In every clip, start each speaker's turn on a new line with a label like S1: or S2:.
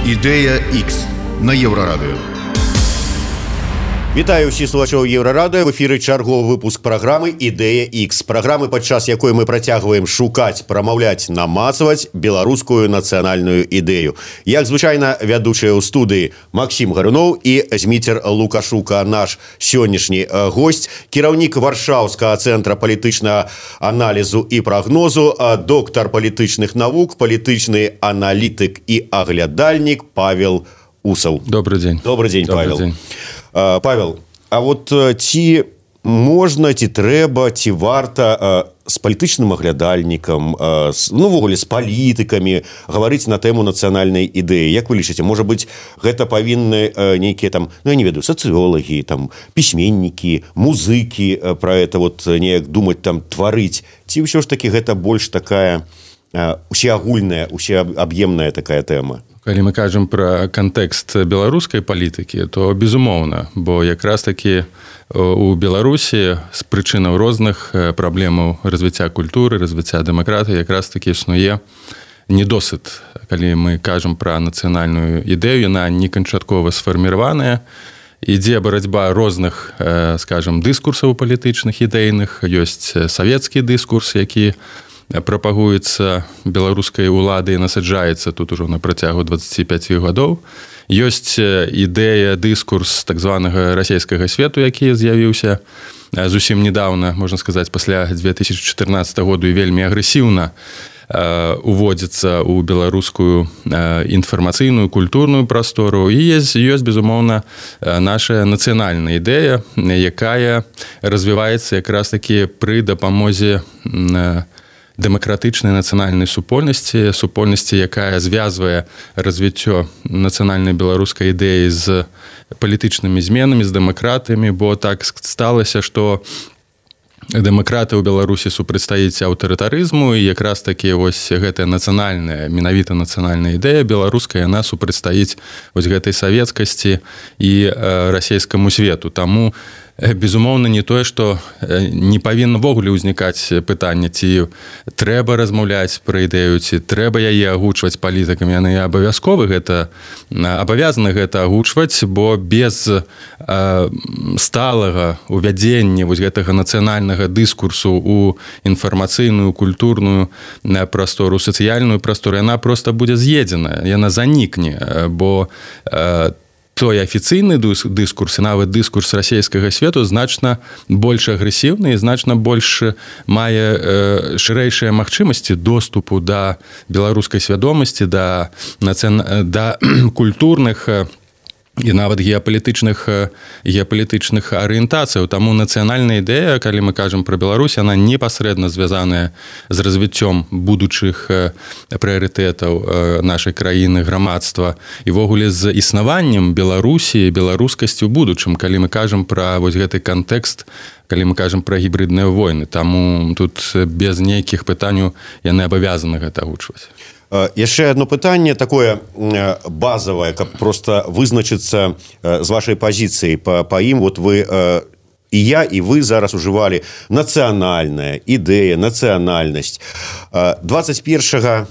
S1: Ідэя X на Еўрарадыё.
S2: Вітаю ўсіх слухачоў Еўрарадыё. В эфіры чарговы выпуск праграмы «Ідэя X». Праграмы, падчас якой мы працягваем шукаць, прамаўляць, намацаваць беларускую нацыянальную ідэю. Як звычайна, вядучыя ў студыі Максім Гаруноў і Зміцер Лукашука, наш сённяшні госць, кіраўнік Варшаўскага цэнтра палітычнага аналізу і прагнозу, доктар палітычных навук, палітычны аналітык і аглядальнік Павел Усаў.
S3: Добрый дзень.
S2: Добрый дзень,
S3: Добрый
S2: Павел.
S3: дзень.
S2: Павел, а вот ці можна, ці трэба, ці варта з палітычным аглядальнікам, увогуле з палітыкамі гаварыць на тэму нацыянальнай ідэі? Як вы лічыце, можа быць, гэта павінны нейкія там, я не ведаю, сацыёлагі, там пісьменнікі, музыкі пра гэта вот неяк думаць, там тварыць, ці ўсё ж такі гэта больш такая усеагульная, усеаб'емная такая тэма?
S3: Калі мы кажам пра кантэкст беларускай палітыкі, то безумоўна, бо якраз такі у Беларусі з прычынаў розных праблемаў развіцця культуры, развіцця дэмакратыі якраз такі існуе недосыт. Калі мы кажам пра нацыянальную ідэю, яна не канчаткова сфарміраваная, ідзе барацьба розных, скажам, дыскурсаў палітычных, ідэйных, ёсць савецкі дыскурс, які прапагуецца беларускай уладай і насаджаецца тут ужо на працягу 25 гадоў. Ёсць ідэя, дыскурс так званага расійскага свету, які з'явіўся зусім недавно, можна сказаць, пасля 2014 году і вельмі агрэсіўна уводзіцца ў беларускую інфармацыйную, культурную прастору. І ёсць, безумоўна, наша нацыянальная ідэя, якая развіваецца якраз такі пры дапамозе дэмакратычнай нацыянальнай супольнасці, якая звязвае развіццё нацыянальнай беларускай ідэі з палітычнымі зменамі, з дэмакратамі, бо так сталася, што дэмакраты ў Беларусі супрацьстаіць аўтарытарызму, і якраз такі вось гэтая нацыянальная, менавіта нацыянальная ідэя беларуская, яна супрацьстаіць вось гэтай савецкасці і расійскаму свету. Таму безумоўна, не тое, што не павінна ввогуле ўзнікаць пытанне, ці трэба размаўляць пра ідэю, ці трэба яе агучваць палітыкамі. Яны абавязаны гэта агучваць, бо без сталага увядзення вось гэтага нацыянальнага дыскурсу ў інфармацыйную, культурную прастору, сацыяльную прастору, яна проста будзе з'едзена, яна занікне, бо той афіцыйны дыскурс і нават дыскурс расійскага свету значна больш агрэсіўны і значна больш мае шырэйшыя магчымасці доступу да беларускай свядомасці, да культурных і нават геапалітычных арыентацыяў. Таму нацыянальная ідэя, калі мы кажам пра Беларусь, яна непасрэдна звязаная з развіццём будучых прыярытэтаў нашай краіны, грамадства і ввогуле з існаваннем Беларусі, беларускасці ў будучым, калі мы кажам пра вось гэты кантэкст, калі мы кажам пра гібридныя войны. Таму тут без нейкіх пытанняў яны абавязаны гэта агучваць.
S2: Яшчэ одно пытанне такое базавае, каб проста вызначыцца з вашай пазіцыі па ім. Вот вы і я, і вы зараз ужывалі нацыянальная ідэя, нацыянальнасць. 21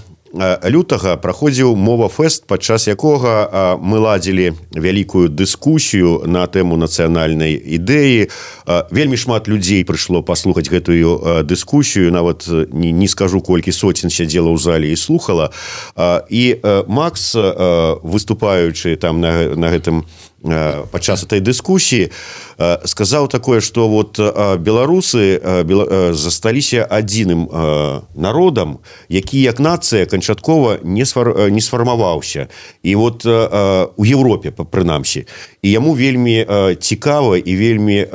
S2: лютага праходзіў мова-фэст, падчас якога мы ладзілі вялікую дыскусію на тэму нацыянальнай ідэі. Вельмі шмат людзей прыйшло паслухаць гэтую дыскусію, нават не скажу, колькі соцень сядзела ў зале і слухала. І Макс, выступаючы там на гэтым падчас этой дыскусіі, сказаў такое, што вот беларусы засталіся адзіным народам, які як нацыя канчаткова не сфармаваўся. І вот у Еўропе, прынамсі. І яму вельмі цікава і вельмі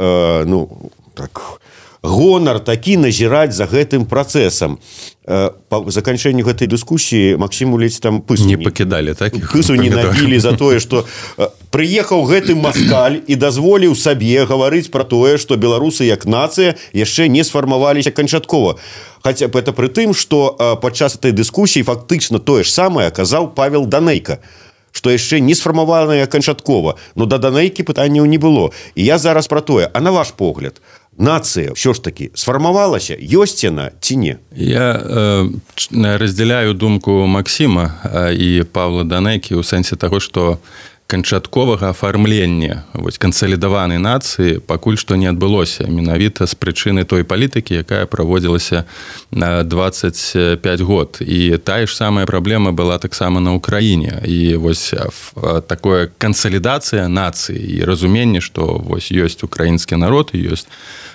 S2: гонар такі назіраць за гэтым працэсам. Па заканчэнню гэтай дыскусіі Максіму ледзь там пысу
S3: не пакідалі, так?
S2: Пысу не набілі за тое, што прыехаў гэты маскаль і дазволіў сабе гаварыць пра тое, што беларусы як нацыя яшчэ не сфармаваліся канчаткова. Хаця б гэта пры тым, што падчас этой дыскусіі фактычна тое ж самае казаў Павел Данейка, што яшчэ не сфармаванае канчаткова. Но да Данейкі пытанняў не было. І я зараз пра тое, а на ваш погляд, нацыя ўсё ж таки сфармавалася, ёсць яна ці не?
S3: Я разделяю думку Максима и Павла Данекі ў сэнсе таго, што канчатковага афармлення кансалідаванай нацыі пакуль што не адбылося менавіта з прычыны той палітыкі, якая праводзілася на 25 год. І тая ж самая праблема была таксама на Ўкраіне. І такое кансалідацыя нацыі і разуменне, што ёсць украінскі народ, ёсць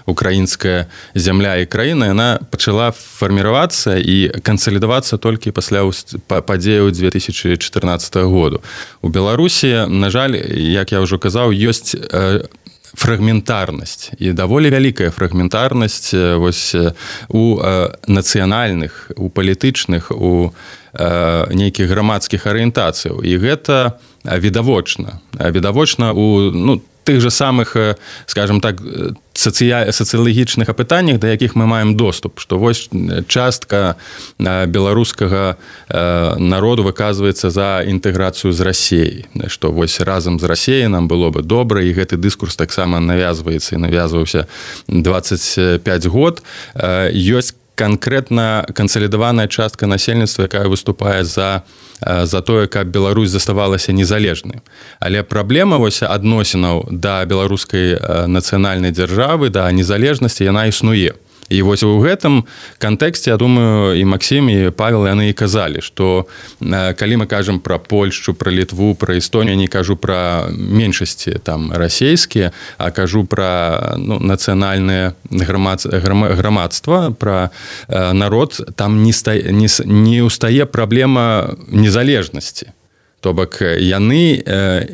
S3: украінская зямля і краіна, яна пачала фарміравацца і кансалідавацца толькі пасля падзеяў 2014 году. У Беларусі, на жаль, як я ўжо казаў, ёсць фрагментарнасць і даволі вялікая фрагментарнасць у нацыянальных, у палітычных, у нейкіх грамадскіх арыентацыяў. І гэта відавочна. Відавочна у тых же самых, скажем так, сацыялагічных апытаннях, да якіх мы маем доступ, што частка беларускага народу выказваецца за інтэграцыю з Расіяй, што разам з Расіяй нам было бы добра, і гэты дыскурс таксама навязваецца і навязваўся 25 год. Ёсць канкрэтна кансалідаваная частка насельніцтва, якая выступае за тое, каб Беларусь заставалася незалежнай. Але праблема адносінаў да беларускай нацыянальнай дзяржавы, да незалежнасці, яна існуе. І у гэтым кантэксце, я думаю, і Максим, і Павел, яны і казалі, што калі мы кажам пра Польшчу, пра Літву, пра Эстонію, я не кажу пра меншасці там расійскія, а кажу пра нацыянальнае грамадства, пра народ, там не ўстае праблема незалежнасці. То бок яны,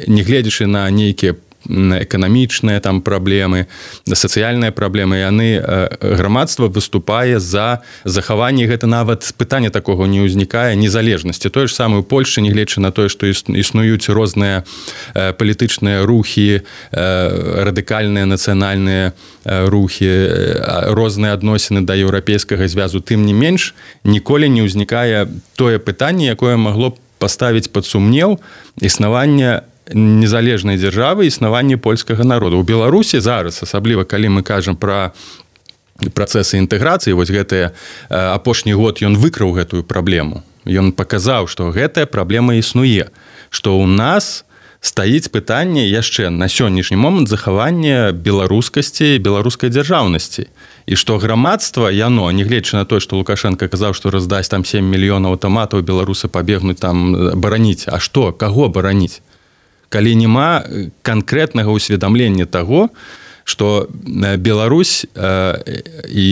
S3: не гледзячы на нейкія эканамічныя там праблемы, сацыяльныя праблемы, яны грамадства выступае за захаванне, гэта нават пытання такога не ўзнікае, незалежнасці. Тое ж самае ў Польшчы, нягледзячы на тое, што існуюць розныя палітычныя рухі, радыкальныя нацыянальныя рухі, розныя адносіны да еўрапейскага звязу, тым не менш, ніколі не ўзнікае тое пытанне, якое магло б паставіць пад сумнеў існаванне незалежнай дзяржавы, існаванне польскага народа. У Беларусі зараз, асабліва калі мы кажам пра працэсы інтэграцыі, гэты апошні год ён выкрыў гэтую праблему. Ён паказаў, што гэтая праблема існуе, што ў нас стаіць пытанне яшчэ на сённяшні момант захавання беларускасці, беларускай дзяржаўнасці. І што грамадства, яно, нягледзячы на тое, што Лукашенко казаў, што раздасць там 7 мільёнаў аўтаматаў, беларусы пабегнуць там бараніць. А што? Каго бараніць? Калі няма канкрэтнага ўсведамлення таго, што Беларусь і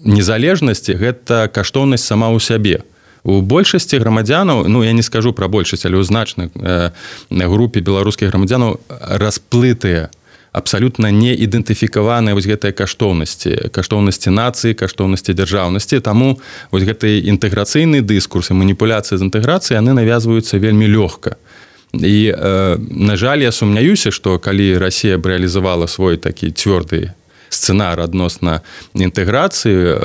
S3: незалежнасці – гэта каштоўнасць сама ў сябе. У большасці грамадзянаў, я не скажу пра большасць, але ў значнай групе беларускіх грамадзянаў расплытыя, абсалютна не ідэнтыфікаваныя гэтыя каштоўнасці нацыі, каштоўнасці дзяржаўнасці. Таму гэты інтэграцыйны дыскурс і маніпуляцыя з інтэграцыяй, яны навязваюцца вельмі лёгка. І, на жаль, я сумняюся, што калі Расія б рэалізавала свой такі цвёрды сцэнар адносна інтэграцыі,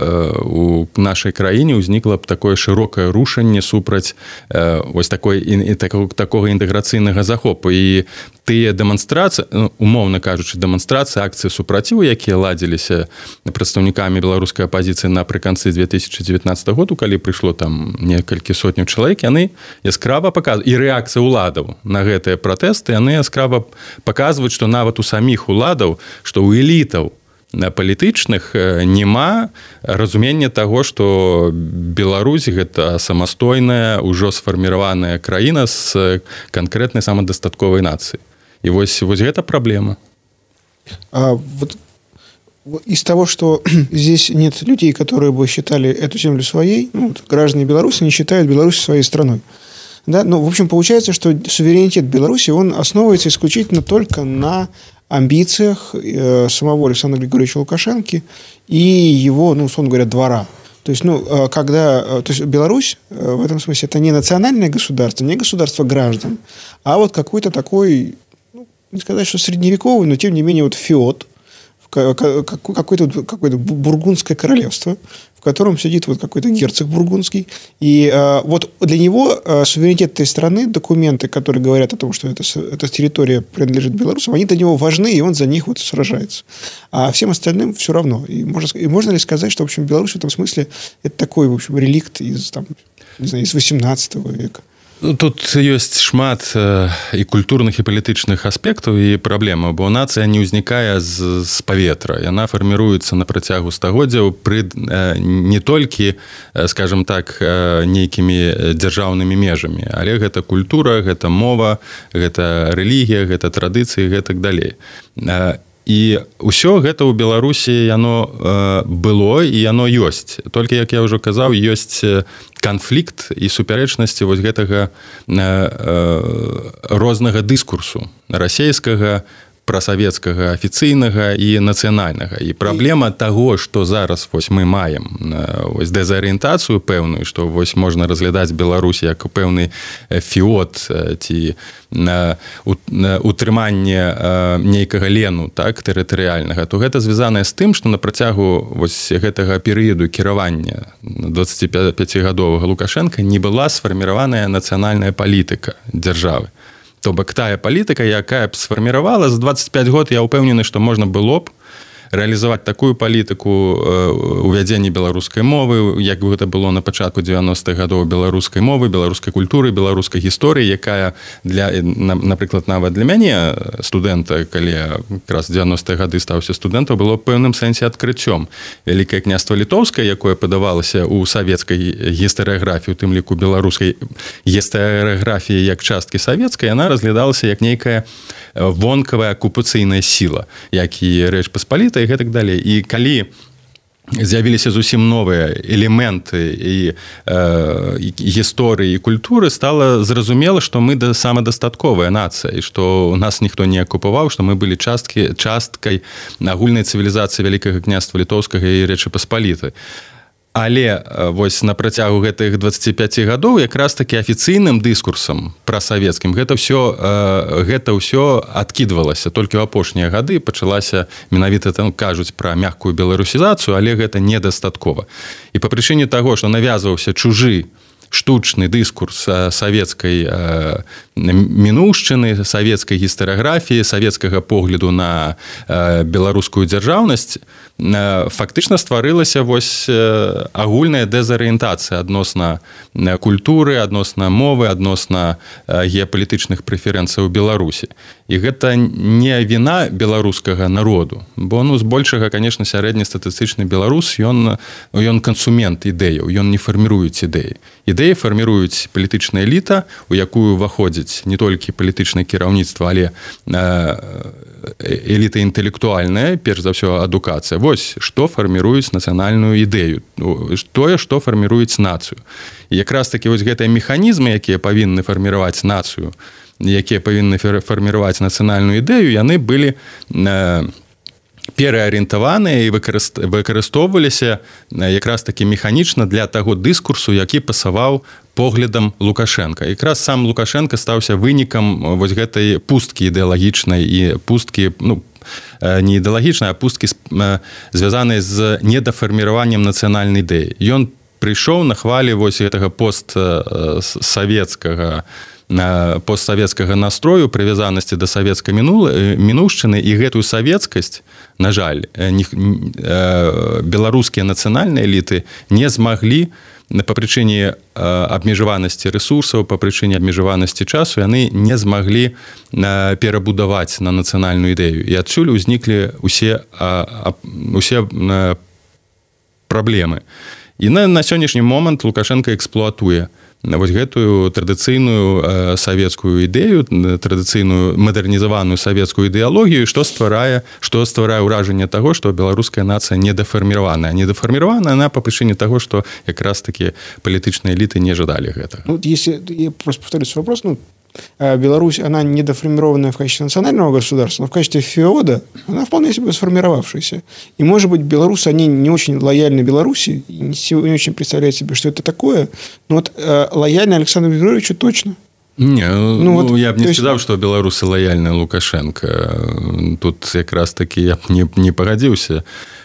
S3: у нашай краіне ўзнікла б такое шырокае рушанне супраць такога інтэграцыйнага захопу. І тыя дэманстрацыі, умоўна кажучы, дэманстрацыі, акцыі супраціву, якія ладзіліся прадстаўнікамі беларускай апазіцыі напрыканцы 2019 году, калі прыйшло там некалькі сотняў чалавек, яны яскрава паказваюць, і рэакцыя ўладаў на гэтыя пратэсты, яны яскрава паказваюць, што нават у саміх уладаў, што ў элітаў палітычных няма разумення таго, што Беларусь гэта самастойная, ужо сфарміраваная краіна з канкрэтнай самадастатковай нацыі. І гэта праблема.
S4: Из того, что здесь нет людей, которые бы считали эту землю своей, граждане Беларуси не считают Беларусь своей страной. Да? В общем, получается, что суверенитет Беларуси, он основывается исключительно только на амбициях самого Александра Григорьевича Лукашенко и его, условно говоря, двора. То есть, Беларусь в этом смысле это не национальное государство, не государство граждан, а вот какой-то такой, не сказать, что средневековый, но тем не менее феод, какое-то бургундское королевство, в котором сидит вот какой-то герцог бургундский. И вот для него суверенитет этой страны, документы, которые говорят о том, что эта территория принадлежит белорусам, они для него важны, и он за них вот сражается. А всем остальным все равно. И можно ли сказать, что, в общем, Беларусь в этом смысле это такой, в общем, реликт из 18 века?
S3: Тут ёсць шмат і культурных і палітычных аспектаў і праблемаў, бо нацыя не ўзнікае з паветра. Яна фарміруецца на працягу стагоддзяў пры не толькі, скажем так, нейкімі дзяржаўнымі межамі, але гэта культура, гэта мова, гэта рэлігія, гэта традыцыі, гэтак далей. І ўсё гэта ў Беларусі яно было і яно ёсць. Толькі, як я ўжо казаў, ёсць канфлікт і супярэчнасці вось гэтага рознага дыскурсу расейскага, прасавецкага, афіцыйнага і нацыянальнага. І праблема таго, што зараз вось мы маем вось дэзарыентацыю пэўную, што вось можна разглядаць Беларусь як пэўны фіот ці утрыманне нейкага лену, так, тэрытарыяльнага, то гэта звязанае з тым, што на працягу вось гэтага перыяду кіравання 25-гадовага Лукашенка не была сфарміраваная нацыянальная палітыка дзяржавы. То бок тая палітыка, якая б сфарміравала за 25 год, я ўпэўнены, што можна было б рэалізаваць такую палітыку увядзення беларускай мовы, як гэта было на пачатку 90-х гадоў, беларускай мовы, беларускай культуры, беларускай гісторыі, якая напрыклад, нават для мяне студэнта, калі якраз 90-е гады стаўся студэнтам, было пэўным сэнсе адкрыццём. Вялікае княства літоўскае, якое падавалася ў савецкай гістарыяграфіі, у тым ліку беларускай гістарыяграфіі як часткі савецкай, яна разглядалася як нейкая вонкавая акупацыйная сіла, як і Рэч Паспалітая і гэтак далей. І калі з'явіліся зусім новыя элементы і гісторыі і культуры, стала зразумела, што мы самадастатковая нацыя, і што нас ніхто не акупаваў, што мы былі часткай агульнай цывілізацыі Вялікага княства літоўскага і Рэчы Паспалітай. Але вось на працягу гэтых 25 гадоў якраз такі афіцыйным дыскурсам прасавецкім гэта ўсё адкідвалася. Толькі ў апошнія гады пачалася, менавіта там кажуць пра мяккую беларусізацыю, але гэта недастаткова. І па прычыне таго, што навязваўся чужы штучны дыскурс савецкай мінуўшчыны, савецкай гістарыяграфіі, савецкага погляду на беларускую дзяржаўнасць, фактычна стварылася вось агульная дэзарыентацыя адносна культуры, адносна мовы, адносна геапалітычных прэферэнцый у Беларусі. І гэта не віна беларускага народу, бо збольшага, конечно, сярэднестатыстычны беларус, ён кансумент ідэяў, ён не фарміруюць ідэі. Ідэі фарміруюць палітычная эліта, у якую ўваходзіць не толькі палітычнае кіраўніцтва, але эліта інтэлектуальная, перш за ўсё адукацыя. Вось, што фарміруюць нацыянальную ідэю, тое, што фарміруюць нацыю. І якраз такі вось гэтыя механізмы, якія павінны фарміраваць нацыю, якія павінны фарміраваць нацыянальную ідэю, яны былі пераарыентаваныя і выкарыстоўваліся якраз такі механічна для таго дыскурсу, які пасаваў поглядам Лукашенка. Якраз сам Лукашенка стаўся вынікам вось гэтай пусткі ідэалагічнай і пусткі, не ідэалагічнай, а пусткі звязанай з недафарміраваннем нацыянальнай ідэі. Ён прыйшоў на хвалі вось гэтага постсавецкага настрою, прывязанасці да савецкай мінуўшчыны, і гэтую савецкасць, на жаль, беларускія нацыянальныя эліты не змаглі па прычыне абмежаванасці рэсурсаў, па прычыне абмежаванасці часу, яны не змаглі перабудаваць на нацыянальную ідэю. І адсюль узніклі усе праблемы. І на сённяшні момант Лукашенко эксплуатуе вось гэтую традыцыйную савецкую ідэю, традыцыйную мадэрнізаваную савецкую ідэалогію, што стварае ўражанне таго, што беларуская нацыя недафарміраваная. Недафарміраваная она па прычыне таго, што якраз такі палітычныя эліты не жадалі гэтага.
S4: Если я просто повторю свой вопрос, Беларусь, она недоформированная в качестве национального государства, но в качестве феода она вполне себе сформировавшаяся. И, может быть, белорусы, они не очень лояльны Беларуси, и не очень представляют себе, что это такое, но вот лояльны Александру Григорьевичу точно.
S3: Не, я б не сказаў, што беларусы лаяльныя Лукашенко. Тут якраз такі я б не пагадзіўся.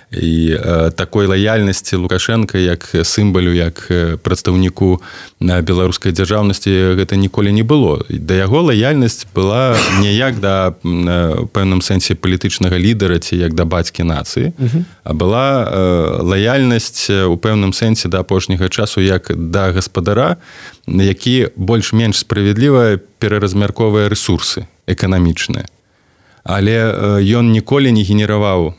S3: І такой лаяльнасці Лукашенка як сімвалю, як прадстаўніку беларускай дзяржаўнасці гэта ніколі не было. Да яго лаяльнасць была не як да пэўным сэнсе палітычнага лідара ці як да бацькі нацыі, а была лаяльнасць у пэўным сэнсе да апошняга часу як да гаспадара, які больш-менш справядліва пераразмярковвае рэсурсы эканамічныя. Але ён ніколі не генераваў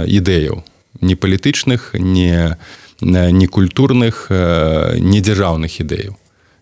S3: ідэяў, ні палітычных, ні культурных, ні дзяржаўных ідэяў.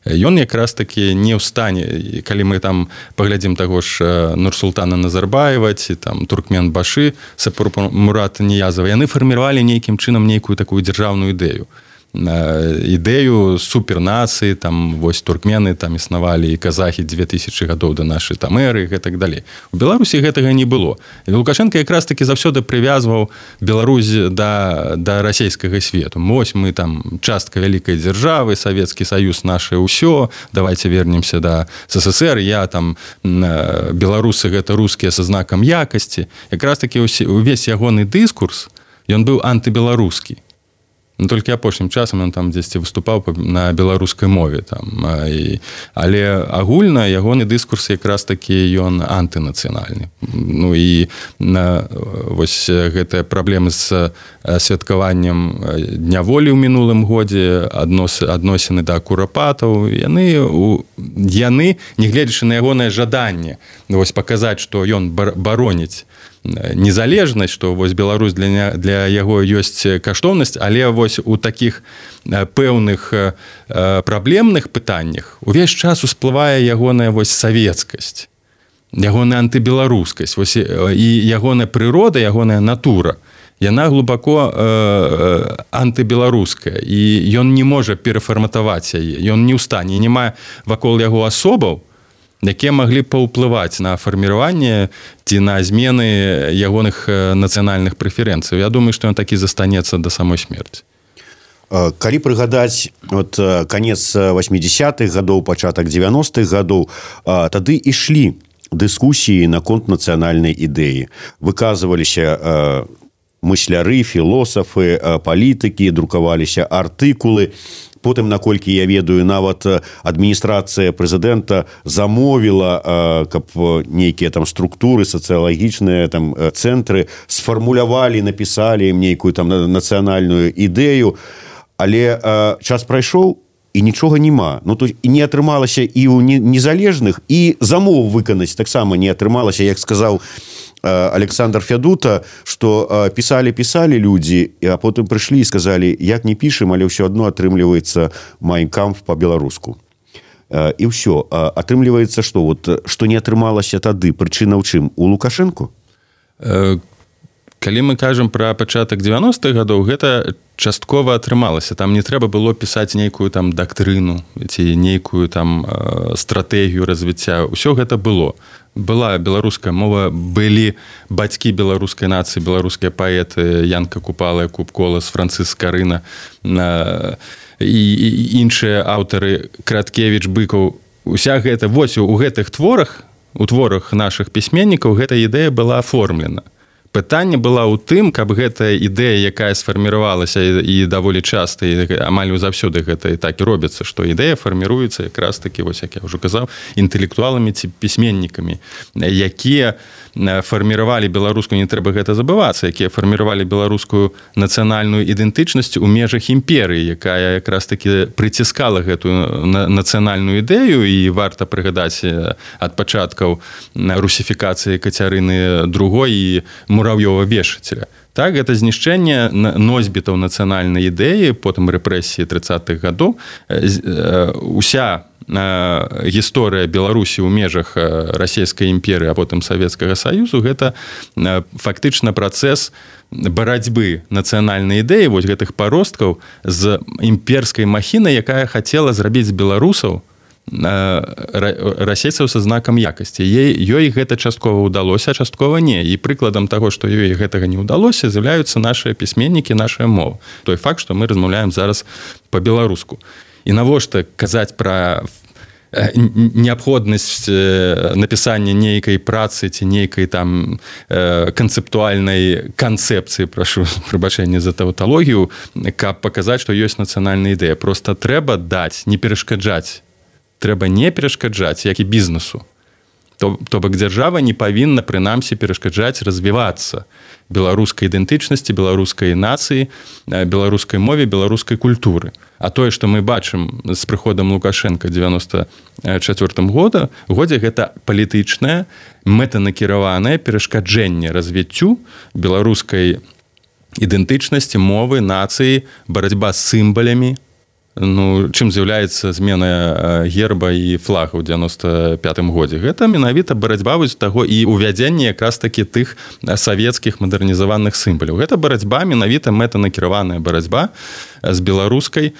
S3: Ён якраз такі не ў стане, калі мы там паглядзім таго ж Нурсултана Назарбаева ці там Туркменбашы, Сапурмурата Ниязова, яны фарміравалі нейкім чынам нейкую такую дзяржаўную ідэю. Ідэю супернацыі, там вось туркмены там існавалі і казахі 2000 гадоў да нашай там эры і так далей. У Беларусі гэтага не было. І Лукашенко якраз такі заўсёды прывязваў Беларусь да расійскага свету. Вось мы там частка вялікай дзяржавы, Савецкі Саюз наше ўсё, давайте вернемся да СССР, я там беларусы гэта рускія са знакам якасці. Якраз такі увесь ягоны дыскурс, ён быў антыбеларускі. Толькі апошнім часам ён там дзесьці выступаў на беларускай мове там. Але агульна ягоны дыскурс якраз такі ён антынацыянальны. Ну і вось гэтыя праблемы з святкаваннем Дня волі ў мінулым годзе, адносіны да курапатаў, яны нягледзячы на ягонае жаданне вось паказаць, што ён бароніць незалежнасць, што вось Беларусь для яго ёсць каштоўнасць, але вось у такіх пэўных праблемных пытаннях увесь час усплывае ягоная вось савецкасць, ягоная антыбеларускасць, вось і ягоная прырода, ягоная натура, яна глубоко антыбеларуская, і ён не можа перафарматаваць яе, ён не ў стане, не мае вакол яго асобаў, якія маглі паўплываць на фарміраванне ці на змены ягоных нацыянальных прэферэнцый. Я думаю, што ён такі застанецца да самой смерці.
S2: Калі прыгадаць канец 80-х гадоў, пачатак 90-х гадоў, тады ішлі дыскусіі наконт нацыянальнай ідэі. Выказваліся мысляры, філосафы, палітыкі, друкаваліся артыкулы. Потым, наколькі я ведаю, нават адміністрацыя прэзідэнта замовіла, каб нейкія там структуры сацыялагічныя там цэнтры сфармулявалі, напісалі ім нейкую там нацыянальную ідэю, але час прайшоў і нічога няма. Ну, то і не атрымалася і ў незалежных, і замоў выканаць таксама не атрымалася, як сказаў Александр Фядута, што пісалі людзі, а потым прыйшлі і сказалі, як не пішам, але ўсё адно атрымліваецца Майн кампф па-беларуску. І ўсё. Атрымліваецца, што не атрымалася тады, прычына ў чым? У Лукашэнку?
S3: Калі мы кажам пра пачатак 90-х гадоў, гэта часткова атрымалася. Там не трэба было пісаць нейкую там дактрыну ці нейкую там стратэгію развіцця. Усё гэта было. Была беларуская мова, былі бацькі беларускай нацыі, беларускія паэты Янка Купала, Якуб Колас, Францыск Карына і іншыя аўтары, Краткевіч, Быкаў. Уся гэта, вось у гэтых творах, у творах нашых пісьменнікаў гэта ідэя была аформлена. Пытанне была ў тым, каб гэтая ідэя, якая сфарміравалася і даволі часта, і амаль заўсёды гэта і так і робіцца, што ідэя фарміруецца якраз такі, вось як я ўжо казаў, інтэлектуаламі ці пісьменнікамі, якія фарміравалі беларускую, не трэба гэта забывацца, якія фарміравалі беларускую нацыянальную ідэнтычнасць у межах імперыі, якая якраз такі прыціскала гэтую нацыянальную ідэю, і варта прыгадаць ад пачаткаў русіфікацыі Кацярыны II і Мурав'ёва-Вешацеля. Так, гэта знішчэнне носьбітаў нацыянальнай ідэі, потым рэпрэсіі 30-х гадоў. Уся гісторыя Беларусі ў межах расійскай імперыі, а потым Савецкага Саюзу, гэта фактычна працэс барацьбы нацыянальнай ідэі, вось гэтых паросткаў з імперскай махінай, якая хацела зрабіць з беларусаў расейцаў са знакам якасці. Ёй гэта часткова ўдалося, а часткова не. І прыкладам таго, што ёй гэтага не ўдалося, з'яўляюцца нашыя пісьменнікі, нашая мова. Той факт, што мы размаўляем зараз па-беларуску. І навошта казаць пра неабходнасць напісання нейкай працы ці нейкай там канцэптуальнай канцэпцыі, прашу прабачэння за тавталогію, каб паказаць, што ёсць нацыянальная ідэя. Проста трэба даць, не перашкаджаць. Трэба не перашкаджаць, як і бізнесу. То бок дзяржава не павінна, прынамсі, перашкаджаць развівацца беларускай ідэнтычнасці, беларускай нацыі, беларускай мове, беларускай культуры. А тое, што мы бачым з прыходам Лукашенка 94 годзе, гэта палітычнае, мэтанакіраванае перашкаджэнне развіццю беларускай ідэнтычнасці, мовы, нацыі, барацьба з сімвалямі. Чым з'яўляецца змена герба і флага ў 95 годзе? Гэта менавіта барацьба вось таго і ўвядзенне якраз такі тых савецкіх мадэрнізаваных сімваляў. Гэта барацьба, менавіта мэтанакіраваная барацьба з беларускасцю.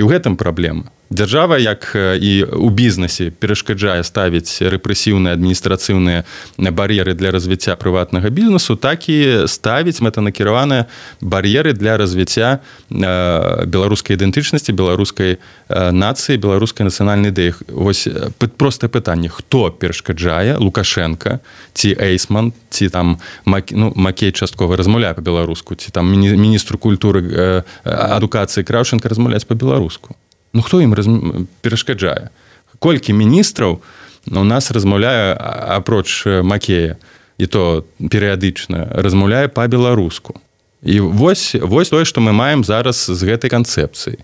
S3: І ў гэтым праблема. Дзяржава, як і ў бізнесе, перашкаджае ставіць рэпрэсіўныя адміністрацыйныя бар'еры для развіцця прыватнага бізнесу, так і ставіць мэтанакіраваныя бар'еры для развіцця беларускай ідэнтычнасці, беларускай нацыі, беларускай нацыянальнай ідэі. Вось простае пытанне: хто перашкаджае? Лукашенка ці Эйсман, ці там Макей часткова размаўляе па-беларуску, ці там міністру культуры, адукацыі Краўченка размаўляць па-беларуску? Хто ім перашкаджае? Колькі міністраў у нас размаўляе, апроч Макея, і то перыядычна, размаўляе па-беларуску. І вось тое, што мы маем зараз з гэтай канцэпцыяй.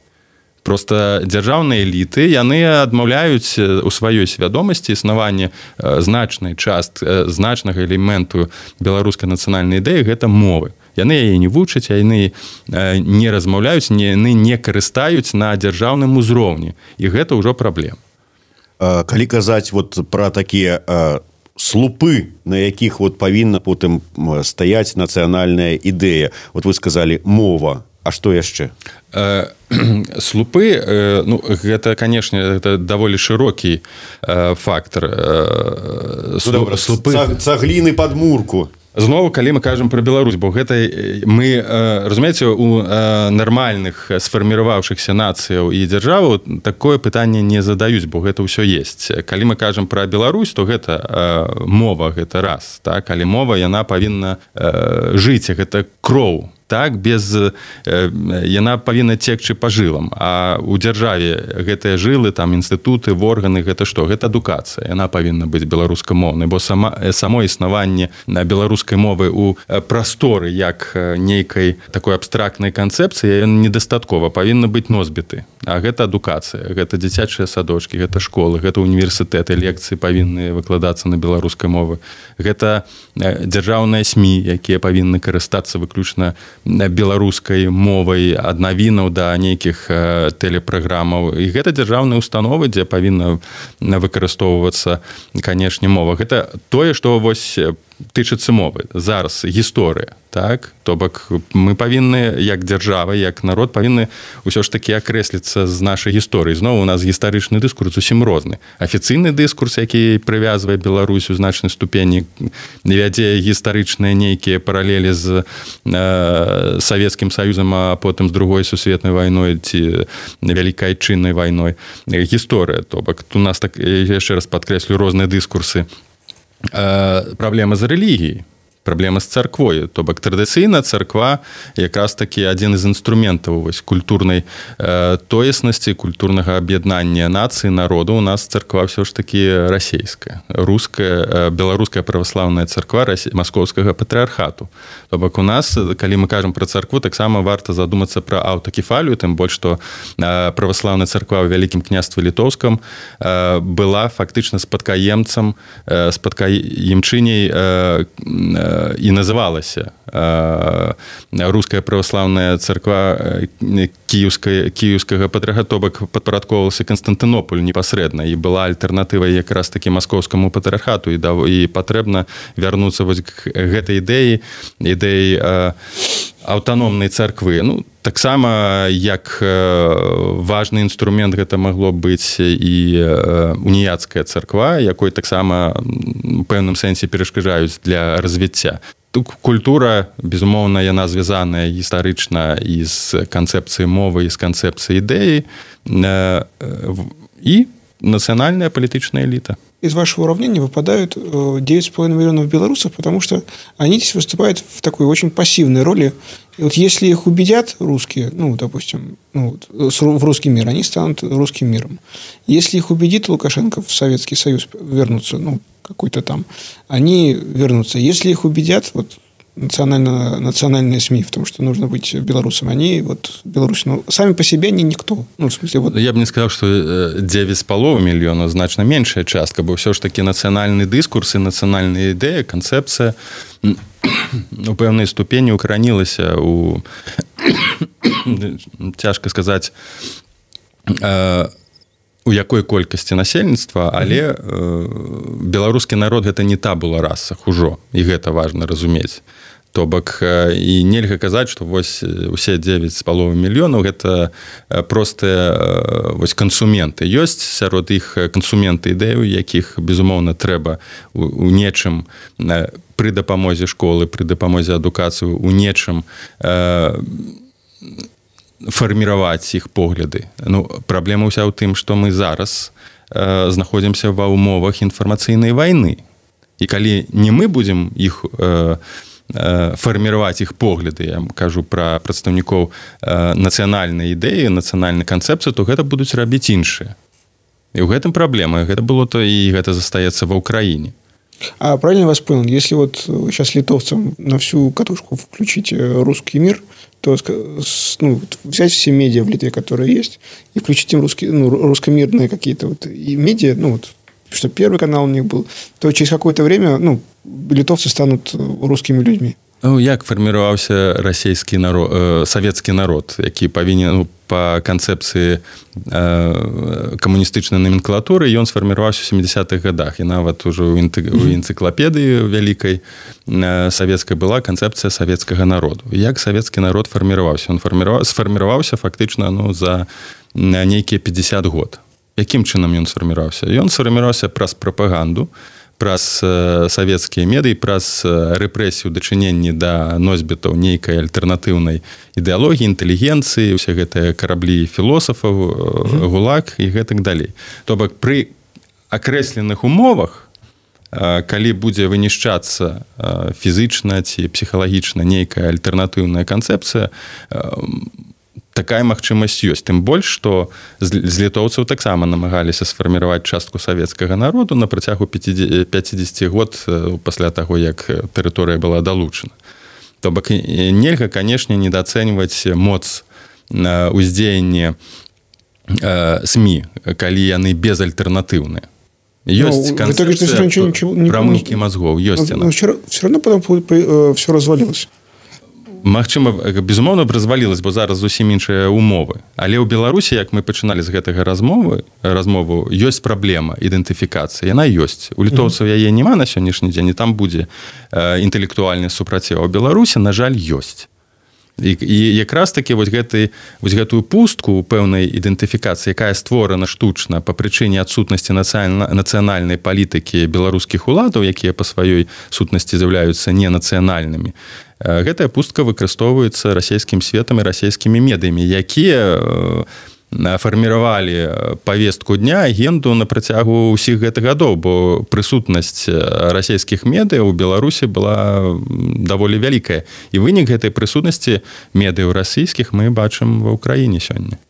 S3: Проста дзяржаўныя эліты, яны адмаўляюць у сваёй свядомасці існаванне значнага элементу беларускай нацыянальнай ідэі, гэта мовы. Яны яе не вучаць, яны не размаўляюць, яны не карыстаюць на дзяржаўным узроўні. І гэта ўжо праблема.
S2: Калі казаць пра такія слупы, на якіх павінна потым стаяць нацыянальная ідэя, вы сказалі мова, а што яшчэ?
S3: Слупы, гэта, канешне, гэта даволі шырокі фактар.
S2: Цагліны пад мурку.
S3: Зноў, калі мы кажам пра Беларусь, бо гэта мы, разумееце, у нармальных сфарміраваўшыхся нацыяў і дзяржаваў такое пытанне не задаюць, бо гэта ўсё ёсць. Калі мы кажам пра Беларусь, то гэта мова, гэта раз. Але мова, яна павінна жыць, гэта кроў. Яна павінна цекчы па жылам. А ў дзяржаве гэтыя жылы, там інстытуты, органы, гэта што? Гэта адукацыя. Яна павінна быць беларускамоўнай, бо само існаванне беларускай мовы ў прасторы як нейкай такой абстрактнай канцэпцыі недастаткова, павінна быць носьбіты. А гэта адукацыя, гэта дзіцячыя садочкі, гэта школы, гэта універсітэты, лекцыі павінны выкладацца на беларускай мове. Гэта дзяржаўныя СМІ, якія павінны карыстацца выключна беларускай мовай, ад навінаў да нейкіх тэлепраграмаў. І гэта дзяржаўныя установы, дзе павінна выкарыстоўвацца, канешне, мова. Гэта тое, што тычыцца мовы. Зараз гісторыя, То бок мы павінны, як дзяржава, як народ, павінны ўсё ж такі акрэсліцца з нашай гісторыі. Зноў у нас гістарычны дыскурс зусім розны. Афіцыйны дыскурс, які прывязвае Беларусь у значнай ступені, вядзе гістарычныя нейкія паралелі з Савецкім Саюзам, а потым з Другой сусветнай вайной ці Вялікай Айчыннай вайной. Гісторыя, то бок у нас, яшчэ раз падкрэслю, розныя дыскурсы. Праблема з рэлігіяй, праблема з царквой. То бок традыцыйна царква якраз такі адзін з інструментаў культурнай тоеснасці, культурнага аб'яднання нацыі, народу. У нас царква ўсё ж такі расейская, руская, беларуская праваслаўная царква маскоўскага патрыархату. То бок у нас, калі мы кажам пра царкву, таксама варта задумацца пра аўтакефалію, тым больш, што праваслаўная царква ў Вялікім княстве Літоўскам была фактычна спадкаемцам, спадкаемчыняй і называлася руская праваслаўная царква кіеўскага патрыархата, то бок падпарадкоўвалася Канстантынополю непасрэдна, і была альтэрнатывай якраз такі маскоўскаму патрыархату, і патрэбна вярнуцца к гэтай ідэі аўтаномнай царквы. Таксама, як важны інструмент гэта магло быць і уніяцкая царква, якой таксама у пэўным сэнсе перашкаджаюць для развіцця. культура, безумоўна, яна звязаная гістарычна і з канцэпцыяй мовы, і з канцэпцыяй ідэі, і национальная политическая элита.
S4: Из вашего уравнения выпадают 9,5 миллионов белорусов, потому что они здесь выступают в такой очень пассивной роли. И вот если их убедят русские, допустим, в русский мир, они станут русским миром. Если их убедит Лукашенко в Советский Союз вернуться, какой-то там, они вернутся. Если их убедят, национальные СМИ в том, что нужно быть белорусом, они Беларусь, сами по себе они никто. В смысле,
S3: Я бы не сказал, что 9,5 миллионов значно меньшая частка, бо все ж таки национальный дискурс и национальная идея, концепция у пэўнай ступені укаранілася у цяжка сказаць у якой колькасці насельніцтва, але беларускі народ гэта не табула раса ужо, і гэта важна разумець. То бок і нельга казаць, што вось усе 9,5 мільёнаў гэта простыя кансументы. Ёсць сярод іх кансументы ідэю, якіх безумоўна трэба у нечым пры дапамозе школы, пры дапамозе адукацыі у нечым фарміраваць іх погляды. Праблема ўся ў тым, што мы зараз знаходзімся ва ўмовах інфармацыйнай вайны. І калі не мы будзем іх фарміраваць іх погляды, я кажу пра прадстаўнікоў нацыянальнай ідэі, нацыянальнай канцэпцыі, то гэта будуць рабіць іншыя. І ў гэтым праблема. Гэта было то і гэта застаецца ва ўкраіне.
S4: А правильно я вас понял, если сейчас литовцам на всю катушку включить русский мир, то взять все медиа в Литве, которые есть, и включить им русскомирные какие-то и медиа, что первый канал у них был, то через какое-то время литовцы станут русскими людьми.
S3: Як фарміраваўся расійскі народ, савецкі народ, які павінен па канцэпцыі камуністычнай номенклатуры, ён сфарміраваўся ў 70-х годах. І нават ужо ў энцыклапедыі вялікай савецкай была канцэпцыя савецкага народу. Як савецкі народ фарміраваўся? Ён сфарміраваўся фактычна за нейкія 50 год. Якім чынам ён сфарміраваўся? Ён сфарміраваўся праз прапаганду, праз савецкія медыі, праз рэпрэсію дачыненні да носьбітаў нейкай альтэрнатыўнай ідэалогіі, інтэлігенцыі, усе гэтыя караблі філосафаў, гулаг і гэтак далей. То бок пры акрэсленых умовах, калі будзе вынішчацца фізычна ці псіхалагічна нейкая альтэрнатыўная канцэпцыя, такая магчымасць ёсць. Тым больш, што з літоўцаў таксама намагаліся сфарміраваць частку савецкага народу на працягу 50 год пасля таго, як тэрыторыя была далучана. То бок нельга, канешне, недаацэньваць моц уздзеяння СМІ, калі яны безальтэрнатыўныя. Ёсць канцэпцыя прамыўкі мазгоў, ёсць яна.
S4: Все равно потом все развалилось.
S3: Магчыма, безумоўна, развалілась, бо зараз зусім іншыя умовы. Але ў Беларусі, як мы пачыналі з гэтага размову, ёсць праблема ідэнтыфікацыі. Яна ёсць. У літоўцаў яе няма на сённяшні дзень, і там будзе інтэлектуальны супраціў. А ў Беларусі, на жаль, ёсць. І якраз такі гэтую пустку ў пэўнай ідэнтыфікацыі, якая створана штучна па прычыне адсутнасці нацыянальнай палітыкі беларускіх уладаў, якія па сваёй сутнасці з'яўляюцца ненацыянальнымі, гэтая пустка выкарыстоўваецца расійскім светам і расійскімі медыямі, якія фарміравалі павестку дня, агенду на працягу ўсіх гэтых гадоў, бо прысутнасць расійскіх медыяў у Беларусі была даволі вялікая. І вынік гэтай прысутнасці медыяў расійскіх мы бачым ва ўкраіне сёння.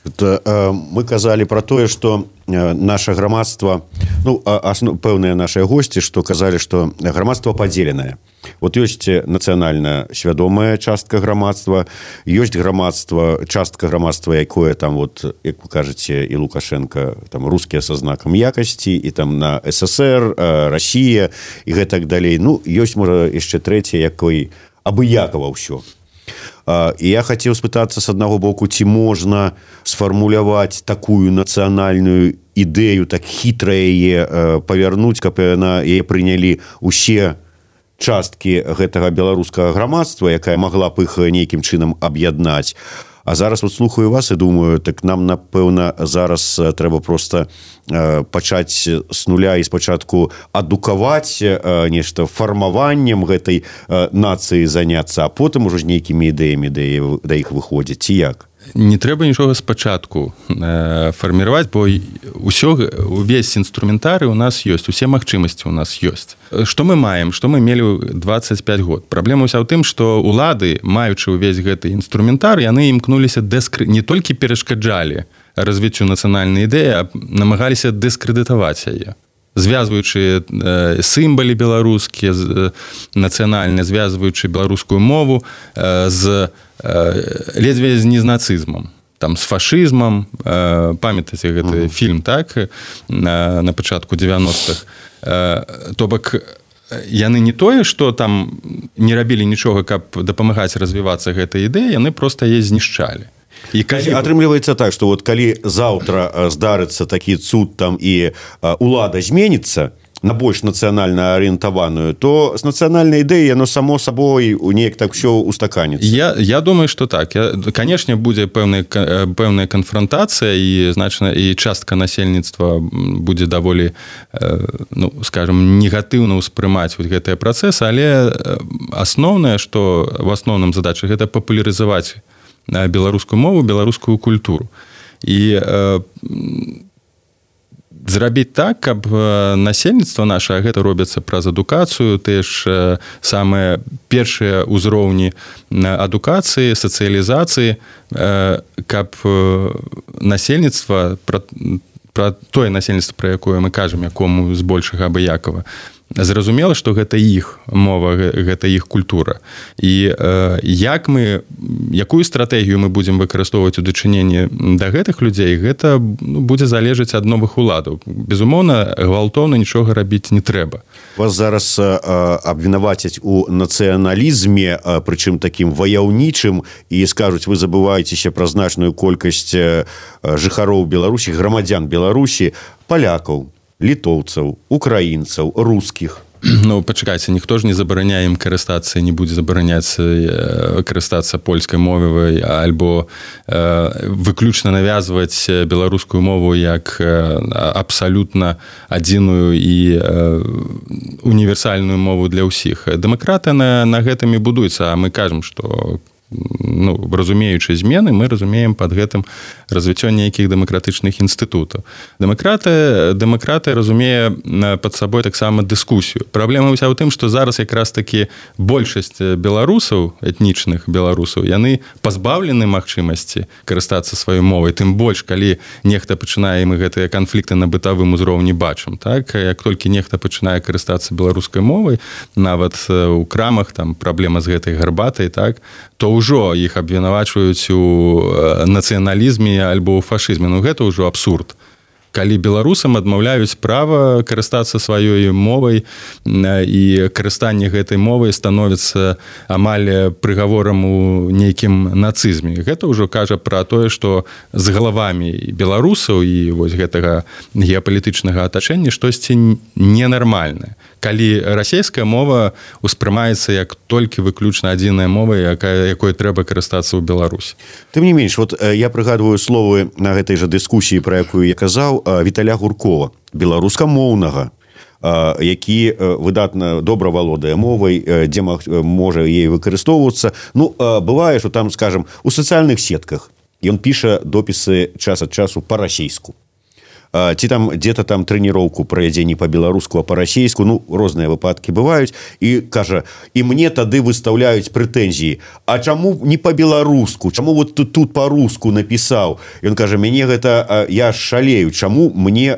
S2: Мы казалі пра тое, што наша грамадства, пэўныя нашыя госці, што казалі, што грамадства падзеленае. Ёсць нацыянальна свядомая частка грамадства, ёсць грамадства, частка грамадства, якое там, як вы кажаце, і Лукашенко, там рускія са знакам якасці, і там на СССР, Расія і гэтак далей. Ёсць, можа, яшчэ трэцяе, якой абыякава ўсё. І я хацеў спытацца з аднаго боку, ці можна сфармуляваць такую нацыянальную ідэю, так хітра яе павярнуць, каб яе прынялі усе часткі гэтага беларускага грамадства, якая магла б іх нейкім чынам аб'яднаць. А зараз вот слухаю вас і думаю, так нам, напэўна, зараз трэба просто пачаць з нуля і спачатку адукаваць нешта фармаваннем гэтай нацыі заняцца, а потым ужо з нейкімі ідэямі да іх выходзіць, ці як?
S3: Не трэба нічога спачатку фарміраваць, бо увесь інструментарый у нас ёсць, усе магчымасці у нас ёсць. Што мы маем, што мы мелі 25 год? Праблема ўся ў тым, што улады, маючы ўвесь гэты інструментар, яны імкнуліся не толькі перашкаджалі развіццю нацыянальнай ідэі, а намагаліся дыскрэдытаваць яе. Звязваючы сімвалы беларускія, нацыянальныя, звязваючы беларускую мову ледзьве з незнацызмам, там, з фашызмам. Памятаеце гэты фільм, так, на пачатку 90-х. То бок, яны не тое, што там не рабілі нічога, каб дапамагаць развівацца гэтай ідэі, яны проста яе знішчалі.
S2: Атрымліваецца так, што вот калі заўтра здарыцца такі цуд там і улада зменіцца на больш нацыянальна арыентаваную, то з нацыянальнай ідэі яно само сабой неяк так все устаканіцца.
S3: Я думаю, што так. Канешне, будзе пэўная канфрантацыя і частка насельніцтва будзе даволі, скажем, негатыўна ўспрымаць гэтыя працэсы, але асноўнае, што в асноўным задача, гэта папулярызаваць беларускую мову, беларускую культуру. І зрабіць так, каб насельніцтва наша, гэта робіцца праз адукацыю, тыя ж самыя першыя ўзроўні адукацыі, сацыялізацыі, каб насельніцтва, пра тое насельніцтва, пра якое мы кажам, якому збольшага абыякава, зразумела, што гэта іх мова, гэта іх культура. І якую стратэгію мы будзем выкарыстоўваць у дачыненні да гэтых людзей, гэта будзе залежаць ад новых уладаў. Безумоўна, гвалтоўна нічога рабіць не трэба.
S2: Вас зараз абвінавацяць у нацыяналізме, прычым такім ваяўнічым, і скажуць, вы забываецеся пра значную колькасць жыхароў Беларусі, грамадзян Беларусі, палякаў, літоўцаў, украінцаў, рускіх.
S3: Пачакайце, ніхто ж не забараняе ім карыстацца, не будзе забараняць карыстацца польскай мовай альбо выключна навязваць беларускую мову як абсалютна адзіную і універсальную мову для ўсіх. Дэмакратыя на гэтым і будуецца, а мы кажам, што разумеючы змены, мы разумеем пад гэтым развіццё нейкіх дэмакратычных інстытутаў. Дэмакратыя разумее пад сабой таксама дыскусію. Праблема ўся ў тым, што зараз якраз такі большасць беларусаў, этнічных беларусаў, яны пазбаўлены магчымасці карыстацца сваёй мовай, тым больш, калі нехта пачынае, мы гэтыя канфлікты на бытавым узроўні бачым, так? Як толькі нехта пачынае карыстацца беларускай мовай, нават у крамах там праблема з гэтай гарбатай, так, то ўжо іх абвінавачваюць у нацыяналізме альбо ў фашызме. Гэта ўжо абсурд. Калі беларусам адмаўляюць права карыстацца сваёй мовай і карыстанне гэтай мовай становіцца амаль прыгаворам у нейкім нацызме. Гэта ўжо кажа пра тое, што з галавамі беларусаў і вось гэтага геапалітычнага атачэння штосьці ненармальнае. Калі расійская мова ўспрымаецца як толькі выключна адзіная мова, якой трэба карыстацца ў Беларусі.
S2: Тым не менш, вот я прыгадваю словы на гэтай жа дыскусіі, пра якую я казаў, Віталя Гуркова, беларускамоўнага, які выдатна добра валодае мовай, дзе можа ей выкарыстоўвацца. Бывае, што там, скажам, у сацыяльных сетках ён піша допісы час ад часу па-расейску. Ці там где-то там трэніроўку правядзе не па-беларуску, а па-расейску, розныя выпадкі бываюць, і кажа, і мне тады выстаўляюць прэтэнзіі, а чаму не па-беларуску, чаму вот ты тут па-руску напісаў? Ён кажа, мяне гэта, я шалею, чаму мне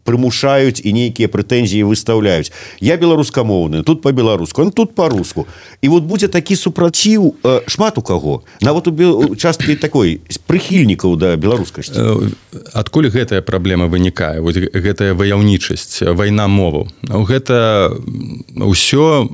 S2: прымушаюць і нейкія прэтэнзіі выстаўляюць? Я беларускамоўны, тут па-беларуску, он тут па-руску. І вот будзе такі супраціў шмат у каго, нават у часткі такой прыхільнікаў да беларускасці.
S3: Адкуль гэтая праблема вынікае? Вось гэтая ваяўнічасць, вайна моваў. Гэта ўсё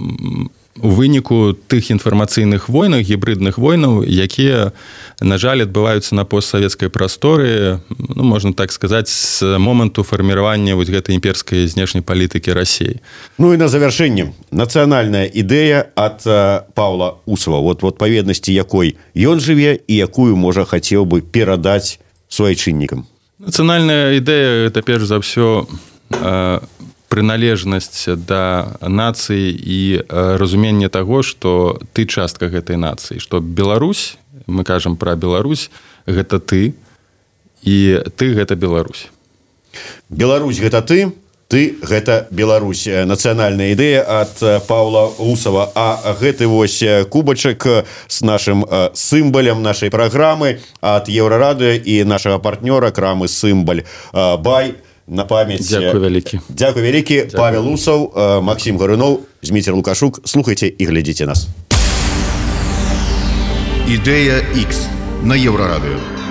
S3: у выніку тых інфармацыйных войнах, гібридных войнаў, якія, на жаль, адбываюцца на постсавецкай прасторы, ну, можна так сказаць, з моманту фарміравання вось гэтай імперскай знешняй палітыкі Расіі.
S2: Ну і на завяршэнне. Нацыянальная ідэя ад Паўла Усава, вот в адпаведнасці якой ён жыве і якую, можа, хацеў бы перадаць суайчыннікам.
S3: Нацыянальная ідэя – это, перш за ўсё, прыналежнасць да нацыі і разуменне таго, што ты частка гэтай нацыі, што Беларусь, мы кажам пра Беларусь, гэта ты, і ты гэта Беларусь.
S2: Беларусь гэта ты гэта Беларусь. Нацыянальная ідэя ад Паўла Усава. А гэты вось кубачак з нашым сімбалем нашай праграмы ад Еўрарадыё і нашага партнёра крамы «Сімбаль Бай» на памяць.
S3: Дякую вялікі.
S2: Дякую вялікі. Павел Усаў, Максім Гарунов, Зміцер Лукашук. Слухайце і глядзіце нас.
S1: Ідэя X на Еўрарадыё.